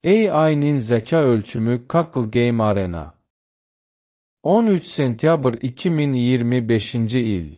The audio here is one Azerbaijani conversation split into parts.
AI'nin zeka ölçümü Kaggle Game Arena 13 sentyabr 2025-ci il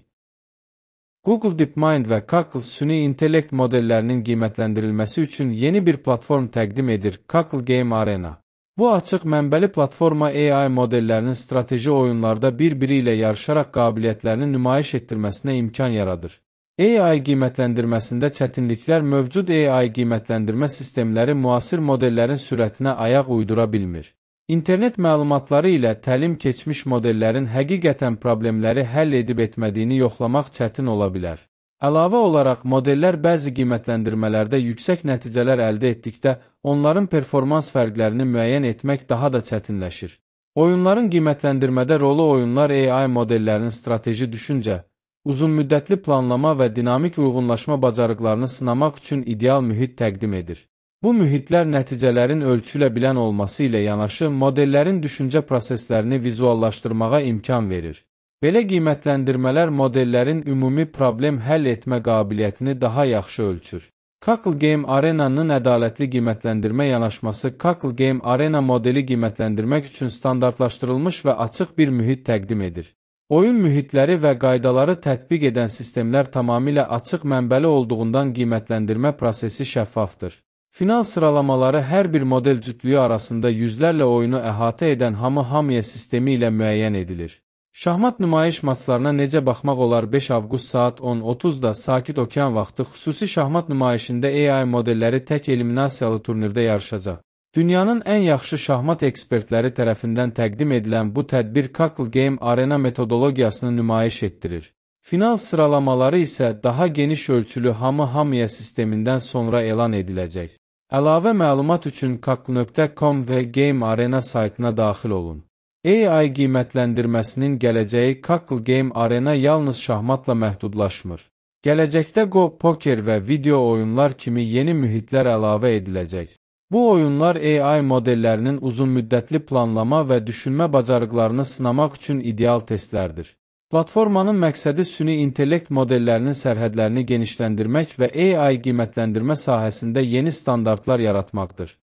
Google DeepMind və Kaggle süni intellekt modellərinin qiymətləndirilməsi üçün yeni bir platform təqdim edir, Kaggle Game Arena. Bu açıq mənbəli platforma AI modellərinin strateji oyunlarda bir-biri ilə yarışaraq qabiliyyətlərini nümayiş etdirməsinə imkan yaradır. AI qiymətləndirməsində çətinliklər mövcud AI qiymətləndirmə sistemləri müasir modellərin sürətinə ayaq uydura bilmir. İnternet məlumatları ilə təlim keçmiş modellərin həqiqətən problemləri həll edib etmədiyini yoxlamaq çətin ola bilər. Əlavə olaraq, modellər bəzi qiymətləndirmələrdə yüksək nəticələr əldə etdikdə, onların performans fərqlərini müəyyən etmək daha da çətinləşir. Oyunların qiymətləndirmədə rolu oyunlar AI modellərinin strateji düşüncə, uzunmüddətli planlama və dinamik uyğunlaşma bacarıqlarını sınamaq üçün ideal mühit təqdim edir. Bu mühitlər nəticələrin ölçülə bilən olması ilə yanaşı, modellərin düşüncə proseslərini vizuallaşdırmağa imkan verir. Belə qiymətləndirmələr modellərin ümumi problem həll etmə qabiliyyətini daha yaxşı ölçür. Kaggle Game Arena'nın ədalətli qiymətləndirmə yanaşması Kaggle Game Arena modeli qiymətləndirmək üçün standartlaşdırılmış və açıq bir mühit təqdim edir. Oyun mühitləri və qaydaları tətbiq edən sistemlər tamamilə açıq mənbəli olduğundan qiymətləndirmə prosesi şəffafdır. Final sıralamaları hər bir model cütlüyü arasında yüzlərlə oyunu əhatə edən hamı-hamıya sistemi ilə müəyyən edilir. Şahmat nümayiş maçlarına necə baxmaq olar? 5 avqust saat 10:30-da Sakit Okean vaxtı xüsusi şahmat nümayişində AI modelləri tək eliminasiyalı turnirdə yarışacaq. Dünyanın ən yaxşı şahmat ekspertləri tərəfindən təqdim edilən bu tədbir Kaggle Game Arena metodologiyasını nümayiş etdirir. Final sıralamaları isə daha geniş ölçülü hamı-hamıya sistemindən sonra elan ediləcək. Əlavə məlumat üçün kaggle.com və Game Arena saytına daxil olun. AI qiymətləndirməsinin gələcəyi Kaggle Game Arena yalnız şahmatla məhdudlaşmır. Gələcəkdə Go, poker və video oyunlar kimi yeni mühitlər əlavə ediləcək. Bu oyunlar AI modellərinin uzunmüddətli planlama və düşünmə bacarıqlarını sınamaq üçün ideal testlərdir. Platformanın məqsədi süni intellekt modellərinin sərhədlərini genişləndirmək və AI qiymətləndirmə sahəsində yeni standartlar yaratmaqdır.